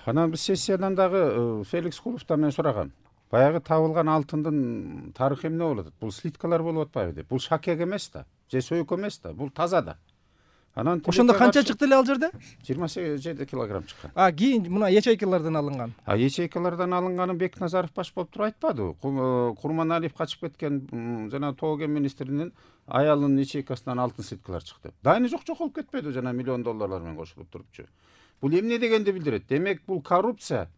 Анан биз сессиядан дагы Феликс Куловдон мен сурагам. Баягы табылган алтындын тарыхы эмне болуп атат? Бул слиткалар болуп атпайбы деп. Бул шакек эмес да, же сөйкө эмес да, бул таза да. Анан ошондо канча чыкты эле ал жерде? 27 килограмм чыккан. Кийин мына ячейкалардан алынган. Ячейкалардан алынганын Бекназаров баш болуп туруп айтпадыбы? Курманалиев качып кеткен жана ТООГ министринин аялынын ячейкасынан алтын слиткалар чыкты. Дайны жок болуп кетпеди жана миллион долларлар менен кошулуп турупчу. Бул эмне дегенди билдирет? Демек бул коррупция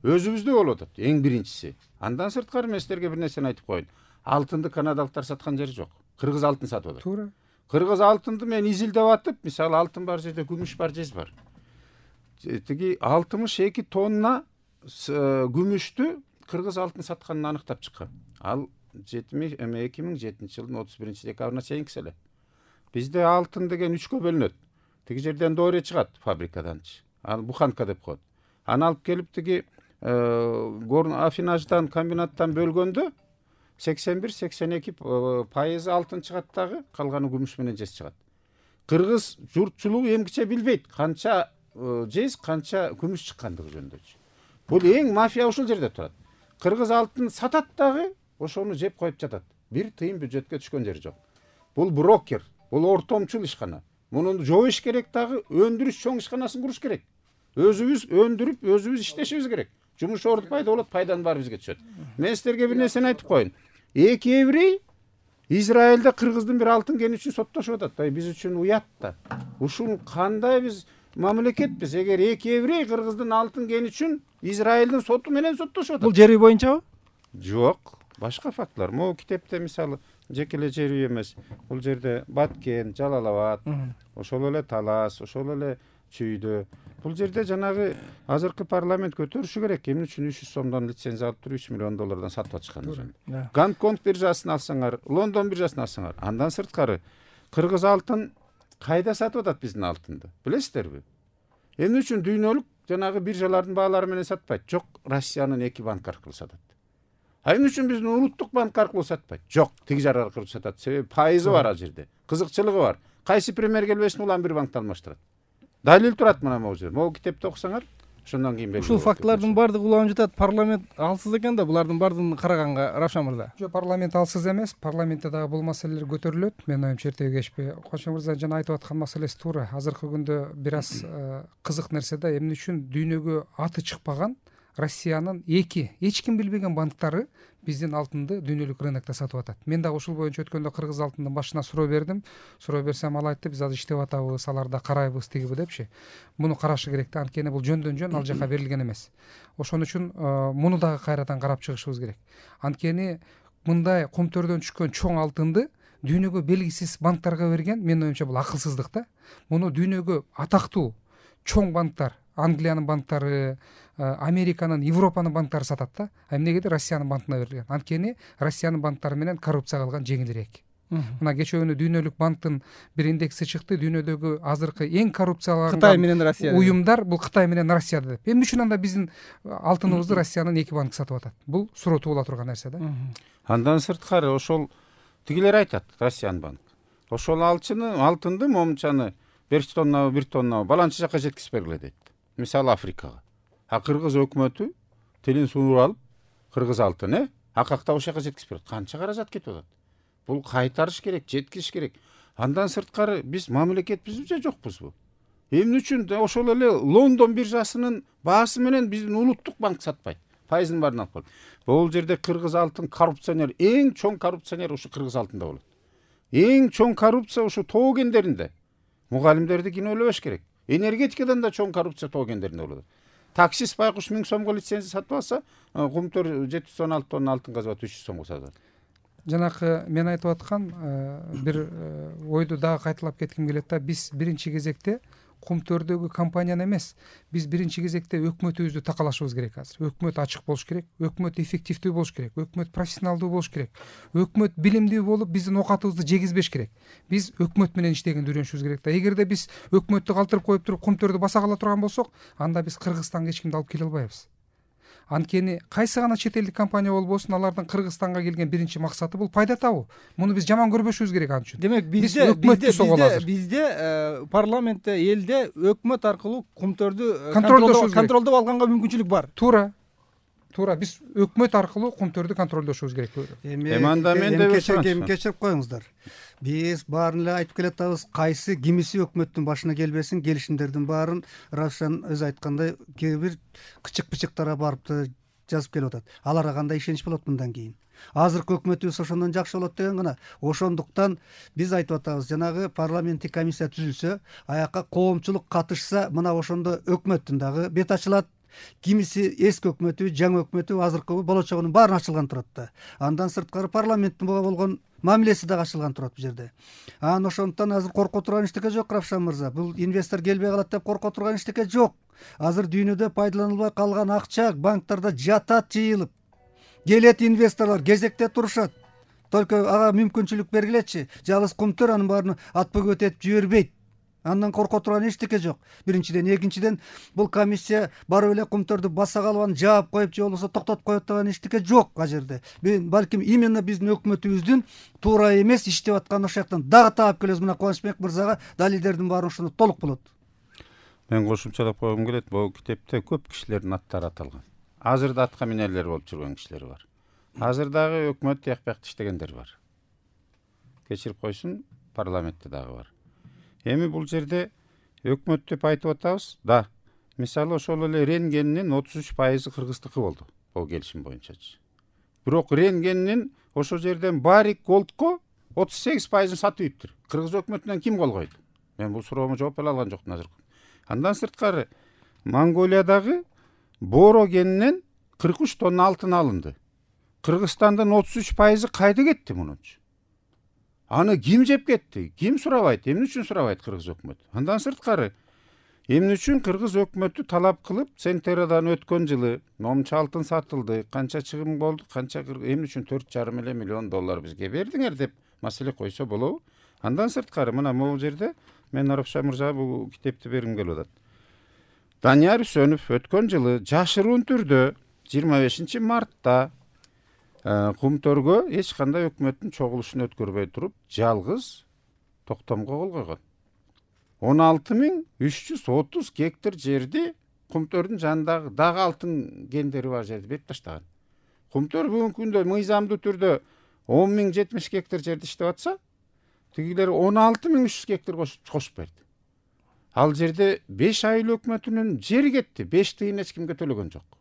өзүбүздө болуп атат эң биринчиси. Андан сырткары мен силерге бир нерсени айтып коеюн. Алтынды канадалыктар саткан жери жок. Кыргыз алтын сатып атат. Туура. Кыргыз алтынды мен изилдеп атып, мисалы алтын бар жерде күмүш бар, жез бар. Тиги 62 тонна күмүштү кыргыз алтын сатканын аныктап чыккан. Ал 2007 жылдын 31 декабрына чейинкиси эле. Бизде алтын деген 3кө бөлүнөт. Тиги жерден доре чыгат фабрикаданчы. Ал буханка деп коет. Аны алып келип тиги афинаждан, комбинаттан бөлгөндө 81-82% алтын чыгат дагы, калганы күмүш менен жез чыгат. Кыргыз журтчулугу эмгиче билбейт канча жез, канча күмүш чыккандыгы жөнүндө. Бул эң мафия ушул жерде турат. Кыргыз алтын сатат дагы, ошону жеп коюп жатат. Бир тыйын бюджетке түшкөн жери жок. Бул брокер, бул ортомчул ишкана. Муну жоюш керек дагы, өндүрүш чоң ишканасын куруш керек. Өзүбүз өндүрүп, өзүбүз иштешибиз керек. Жумуш орду пайда болот, пайданын баары бизге түшөт. Мен силерге бир нерсени айтып коеюн. 2 еврей Израилде кыргыздын бир алтын кени үчүн соттошуп атат. Биз үчүн уят да. Ушул кандай биз мамлекетпиз? Эгер 2 еврей кыргыздын алтын кени үчүн Израилдин соту менен соттошуп атат. Бул жер үй боюнчабы? Жок, башка фактылар. Могу китепте мисалы жеке эле жер үй эмес. Бул жерде Баткен, Жалал-Абад, ошол эле Талас, ошол эле Чүйдө. Бул жерде жанагы азыркы парламент көтөрүшү керек. Эмне үчүн 300 сомдон лицензия алып туруп 3 миллион доллардан сатып атышканы. Гонконг биржасын алсаңар, Лондон биржасын алсаңар, андан сырткары кыргыз алтын кайда сатып атат биздин алтынды? Билесиздерби? Эмне үчүн дүйнөлүк жанагы биржалардын баалары менен сатпайт? Жок, Россиянын 2 банк аркылуу сатат. Эмне үчүн биздин улуттук банк аркылуу сатпайт? Жок, тиги жар аркылуу сатат. Себеби пайызы бар ал жерде. Кызыкчылыгы бар. Кайсы премьер келбесин улам бир банктан алмаштырат. Далил турат мына могу жерде. Могу китепти окусаңар, ошондон кийин белгилүү. Ушул фактылардын баардыгы уланып жатат. Парламент алсыз экен да, булардын баардыгын караганга, Равшан мырза. Жок, парламент алсыз эмес. Парламентте дагы бул маселелер көтөрүлөт. Менин оюмча эртеге кечпи. Кошо мырза жана айтып аткан маселеси туура. Азыркы күндө бир аз кызык нерсе да, эмне үчүн дүйнөгө аты чыкпаган Россиянын эч ким билбеген банктары биздин алтынды дүйнөлүк рынокто сатып атат. Мен дагы ушул боюнча өткөндө кыргыз алтындын башына суроо бердим. Суроо берсем ал айтты, биз азыр иштеп атабыз, аларда карайбыз, тигиби депчи. Муну карашы керек да, анткени бул жөндөн жөн ал жака берилген эмес. Ошон үчүн муну дагы кайрадан карап чыгышыбыз керек. Анткени мындай кумтөрдөн түшкөн чоң алтынды дүйнөгө белгисиз банктарга берген, менин оюмча бул акылсыздык да. Муну дүйнөгө атактуу чоң банктар, Англиянын банктары, Американын, Европанын банктары сатат да. Эмнеге Россиянын банкына берилген? Анткени Россиянын банктары менен коррупция кылган жеңилирээк. Мына кечөөнү дүйнөлүк банктын бир индекси чыкты. Дүйнөдөгү азыркы эң коррупцияланган Кытай менен Россия уюмдар бул Кытай менен Россияда деп. Эмне үчүн анда биздин алтыныбызды Россиянын 2 банкы сатып атат? Бул суроо туула турган нерсе да. Андан сырткары ошол тигилер айтат, Россиянын банк. Ошол алтынды, момчаны 5 тонна, 1 тонна баланча жака жеткизип бергиле дейт. Мисалы Африкага. Кыргыз өкмөтү тилин сууруп алып, кыргыз алтын, акакта ошол жака жеткизип берет. Канча каражат кетип атат? Бул кайтарыш керек, жеткизиш керек. Андан сырткары биз мамлекетпизби же жокпузбу? Эмне үчүн ошол эле Лондон биржасынын баасы менен биздин улуттук банк сатпайт? Пайызын баарын алып коет. Бул жерде кыргыз алтын коррупционер, эң чоң коррупционер ушу кыргыз алтында болот. Эң чоң коррупция ушу тоо кендеринде. Мугалимдерди кинөлөбөш керек. Энергетикадан да чоң коррупция тоо кендеринде болот. Таксист байкуш 1000 сомго лицензия сатып алса, кумтөр 716 тонна алтын казып атат, 300 сомго сатат. Жанакы мен айтып аткан бир ойду дагы кайталап кетким келет да. Биз биринчи кезекте кумтөрдөгү компанияны эмес, биз биринчи кезекте өкмөтүбүздү такалашыбыз керек азыр. Өкмөт ачык болуш керек, өкмөт эффективдүү болуш керек, өкмөт профессионалдуу болуш керек, өкмөт билимдүү болуп биздин оокатыбызды жегизбеш керек. Биз өкмөт менен иштегенди үйрөнүшүбүз керек да. Эгерде биз өкмөттү калтырып коюп туруп кумтөрдү баса кала турган болсок, анда биз Кыргызстанга эч кимди алып келе албайбыз. Анткени кайсы гана чет элдик компания болбосун, алардын Кыргызстанга келген биринчи максаты бул пайда табуу. Муну биз жаман көрбөшүбүз керек ал үчүн. Демек бизде парламентте, элде өкмөт аркылуу кумтөрдү контролдоп алганга мүмкүнчүлүк бар. Туура биз өкмөт аркылуу кумтөрдү контролдошубуз керек. Кечирип коюңуздар. Биз баарын эле айтып келатабыз, кайсы кимиси өкмөттүн башына келбесин, келишимдердин баарын Равшан өзү айткандай кээ бир кычык-пычыктара барып жазып келип атат. Аларга кандай ишенич болот мындан кийин? Азыркы өкмөтүбүз ошондон жакшы болот деген гана. Ошондуктан биз айтып атабыз, жанагы парламенттик комиссия түзүлсө, аякка коомчулук катышса, мына ошондо өкмөттүн дагы бет ачылат. Кимиси эски өкмөтү, жаңы өкмөтү, азыркы болочогунун баарын ачылган турат да. Андан сырткары парламенттин буга болгон мамилеси дагы ачылган турат бул жерде. Ошондуктан азыр корко турган эчтеке жок, Равшан мырза. Бул инвестор келбей калат деп корко турган эчтеке жок. Азыр дүйнөдө пайдаланылбай калган акча банктарда жатат, жыйылып. Келет инвесторлор, кезекте турушат. Только ага мүмкүнчүлүк бергилечи. Жалгыз кумтөр анын баарын атпөкөт этип жибербейт. Андан корко турган эчтеке жок. Биринчиден, экинчиден, бул комиссия барып эле кумтөрдү баса калып жаап коюп же болбосо токтотуп коет деген эчтеке жок ал жерде. Балким именно биздин өкмөтүбүздүн туура эмес иштеп аткан ошол жактан дагы таап келебиз. Мына Кубанычбек мырзага далилдердин баары ошондо толук болот. Мен кошумчалап койгум келет, бул китепте көп кишилердин аттары аталган. Азыр да атка минерлер болуп жүргөн кишилер бар. Азыр дагы өкмөт тияк-бияк иштегендер бар. Кечирип койсун, парламентте дагы бар. Эми бул жерде өкмөт деп айтып атабыз. Да, мисалы ошол эле Ренгенин 33% кыргыздыкы болду, бул келишим боюнчачы. Бирок Ренгенин ошол жерден Барик Голдко 38% сатып ийиптир. Кыргыз өкмөтүнөн ким кол койду? Мен бул суроомо жооп але алган жокмун азыр. Андан сырткары Монголиядагы Боро кенинен 43 тонна алтын алынды. Кыргызстандын 33% кайда кетти мунучу? Аны ким жеп кетти? Ким сурабайт? Эмне үчүн сурабайт кыргыз өкмөтү? Андан сырткары эмне үчүн кыргыз өкмөтү талап кылып, Центерадан өткөн жылы момча алтын сатылды, канча чыгым болду, канча эмне үчүн 4,5 миллион доллар бизге бердиңер деп маселе койсо болобу? Андан сырткары мына бул жерде мен Равшан мырзага бул китепти бергим келип атат. Данияр Үсөнов өткөн жылы жашыруун түрдө 25 мартта кумтөргө эч кандай өкмөттүн чогулушун өткөрбөй туруп, жалгыз токтомго кол койгон. 16.330 гектар жерди кумтөрдүн жанындагы дагы алтын кендери бар жерди берип таштаган. Кумтөр бүгүнкү күндө мыйзамдуу түрдө 10.070 гектар жерди иштеп атса, тигилер 16.300 гектар кошуп берди. Ал жерде 5 айыл өкмөтүнүн жери кетти, 5 тыйын эч кимге төлөгөн жок.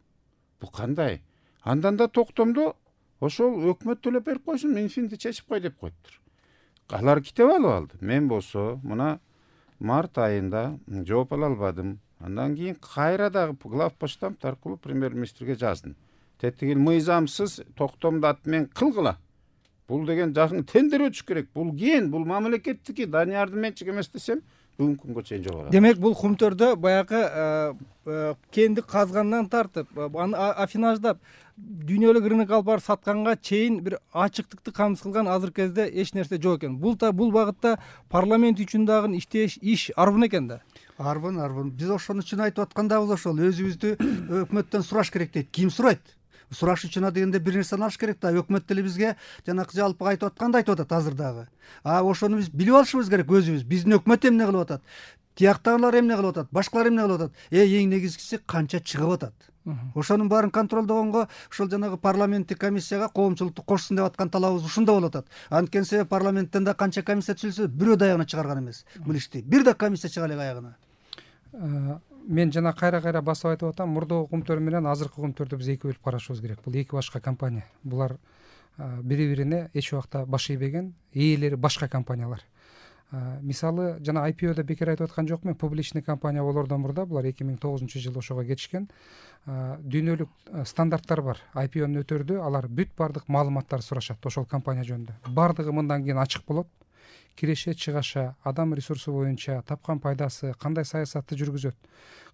Бул кандай? Андан да токтомдо ошол өкмөт төлөп берип койсун, инфинди чечип кой деп коюптур. Алар китеп алып алды. Мен болсо мына март айында жооп ала албадым. Андан кийин кайра дагы главпочтамт аркылуу премьер-министрге жаздым. Тетигил мыйзамсыз токтомду аты менен кылгыла. Бул деген жакын тендер өтүш керек. Бул кен, бул мамлекеттики, Даниярдын менчиги эмес десем, бүгүнкү күнгө чейин жок. Демек бул кумтөрдө баягы кенди казгандан тартып, афинаждап, дүйнөлүк рынок алып барып сатканга чейин бир ачыктыкты камсыз кылган азыркы кезде эч нерсе жок экен. Бул багытта парламент үчүн дагы иш арбын экен да. Арбын. Биз ошон үчүн айтып аткандабыз ошол. Өзүбүздү өкмөттөн сураш керек дейт. Ким сурайт? Сураш үчүн дегенде бир нерсени алыш керек да. Өкмөт деле бизге жанакы жалпы айтып атканды айтып атат азыр дагы. Ошону биз билип алышыбыз керек өзүбүз. Биздин өкмөт эмне кылып атат? Тияктагылар эмне кылып атат? Башкалар эмне кылып атат? Эң негизгиси канча чыгып атат? Ошонун баарын контролдогонго ошол жанагы парламенттик комиссияга коомчулукту кошсун деп аткан талабыбыз ушунда болуп атат. Анткени себеп парламенттен да канча комиссия түзүлсө, бирөө да аягына чыгарган эмес бул ишти. Бир да комиссия чыга элек аягына. Мен жана кайра басып айтып атам, мурдагы кумтөр менен азыркы кумтөрдү биз эки бөлүп карашыбыз керек. Бул эки башка компания. Булар бири-бирине эч убакта баш ийбеген, ээлери башка компаниялар. Мисалы жана IPO'да бекер айтып аткан жокмун, публичный компания болордон мурда булар 2009-жылы ошого кетишкен. Дүйнөлүк стандарттар бар. IPO'ну өтөрдү, алар бүт бардык маалыматтарды сурашат ошол компания жөнүндө. Бардыгы мындан кийин ачык болот. Киреше чыгаша, адам ресурсу боюнча тапкан пайдасы, кандай саясатты жүргүзөт,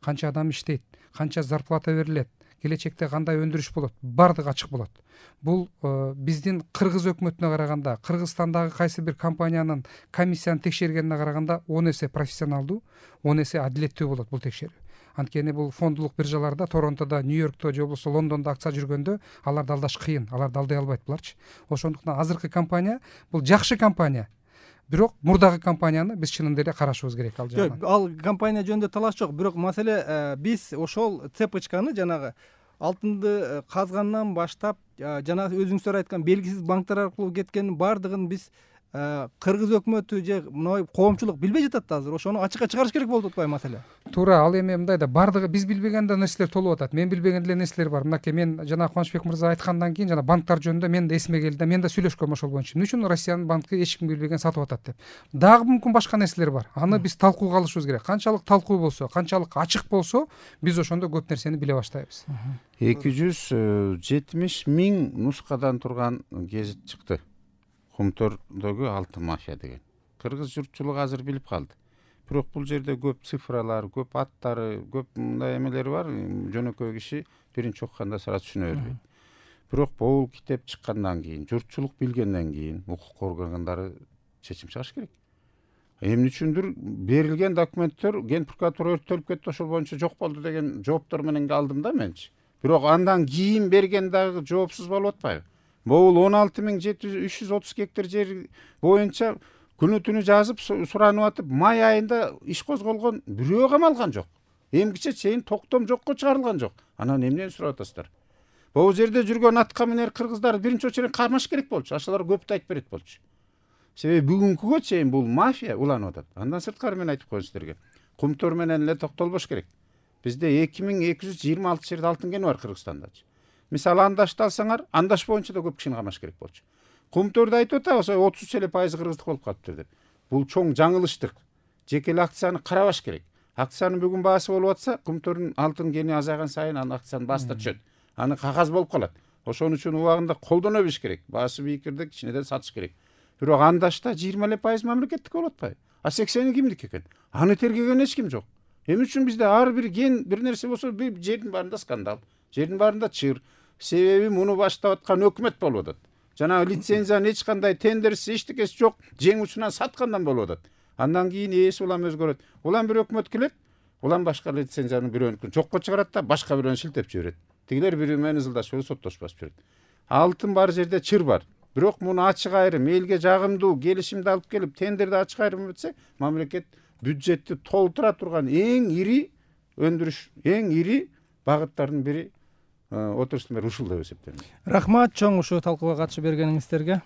канча адам иштейт, канча зарплата берилет, келечекте кандай өндүрүш болот, бардыгы ачык болот. Бул биздин кыргыз өкмөтүнө караганда, Кыргызстандагы кайсы бир компаниянын комиссияны текшергенине караганда 10 эсе профессионалдуу, 10 эсе адилеттүү болот бул текшерүү. анткени бул фондулук биржаларда Торонтодо, Нью-Йоркто же болбосо Лондондо акция жүргөндө аларды алдаш кыйын, аларды алдай албайт буларчы. Ошондуктан азыркы компания бул жакшы компания. Бирок мурдагы компанияны биз чынында эле карашыбыз керек ал жагынан. Ал компания жөнүндө талаш жок, бирок маселе биз ошол цепочканы жанагы алтынды казгандан баштап жанагы өзүңүздөр айткан белгисиз банктар аркылуу кеткенин баардыгын биз кыргыз өкмөтү же мына коомчулук билбей жатат да азыр. Ошону ачыкка чыгарыш керек болуп атпайбы маселе? Туура, ал эми мындай да, баардыгы биз билбеген да нерселер толуп атат. Мен билбеген деле нерселер бар. Мынакей мен жана Кубанычбек мырза айткандан кийин жана банктар жөнүндө мен да эсиме келди да, мен да сүйлөшкөм ошол боюнча. Эмне үчүн Россиянын банкы эч ким билбеген сатып атат деп. Дагы мүмкүн башка нерселер бар. Аны биз талкууга алышыбыз керек. Канчалык талкуу болсо, канчалык ачык болсо, биз ошондо көп нерсени биле баштайбыз. 270 миң нускадан турган гезит чыкты. Кумтордогу алтын мафия деген. Кыргыз журтчулугу азыр билип калды. Бирок бул жерде көп цифралар, көп аттары, көп мындай эмелери бар. Жөнөкөй киши биринчи окуганда сразу түшүнө бербейт. Бирок бул китеп чыккандан кийин, журтчулук билгенден кийин укук органдары чечим чыгыш керек. Эмне үчүндүр берилген документтер Ген прокуратура өрттөлүп кетти, ошол боюнча жок болду деген жооптор менен алдым да менчи. Бирок андан кийин берген дагы жоопсуз болуп атпайбы? Бул 16.330 гектар жер боюнча күнү түнү жазып суранып атып, май айында иш козголгон бирөө камалган жок. Эмгиче чейин токтом жокко чыгарылган жок. Анан эмнени сурап атасыздар? Бул жерде жүргөн атка минер кыргыздар биринчи очередь кармаш керек болчу. Ашалар көптү айтып берет болчу. Себеби бүгүнкүгө чейин бул мафия уланып атат. Андан сырткары мен айтып коеюн сиздерге. Кумтор менен эле токтолбош керек. Бизде 2226 жерде алтын кени бар Кыргызстанда. Мисалы Андашты алсаңар, Андаш боюнча да көп кишини камаш керек болчу. Кумторду айтып атабыз, 33% кыргыздык болуп калыптыр деп. Бул чоң жаңылыштык. Жеке эле акцияны карабаш керек. Акциянын бүгүн баасы болуп атса, Кумтордун алтын кени азайган сайын анын акциянын баасы да түшөт. Аны кагаз болуп калат. Ошон үчүн убагында колдоно билиш керек. Баасы бийикирде кичинеден сатыш керек. Бирок Андашта 20% мамлекеттик болуп атпайбы? А 80 кимдики экен? Аны тергеген эч ким жок. Эмне үчүн бизде ар бир ген бир нерсе болсо, бир жердин баарында скандал, жердин баарында чыр. Себеби муну баштап аткан өкмөт болуп атат. Жанагы лицензиянын эч кандай тендерси, эчтекеси жок, жеңүүчүнөн саткандан болуп атат. Андан кийин ээси улам өзгөрөт. Улам бир өкмөт келет, улам башка лицензияны бирөөнүкүн жокко чыгарат да башка бирөөнү шилтеп жиберет. Тигилер бири менен ызылдашып соттошуп берет. Алтын бар жерде чыр бар. Бирок муну ачык айрым, элге жагымдуу келишимди алып келип, тендерди ачык айрым этсе, мамлекет бюджетти толтура турган эң ири өндүрүш, эң ири багыттардын бири отурустун бери ушул деп эсептейм. Рахмат чоң ушул талкууга катышып бергениңиздерге.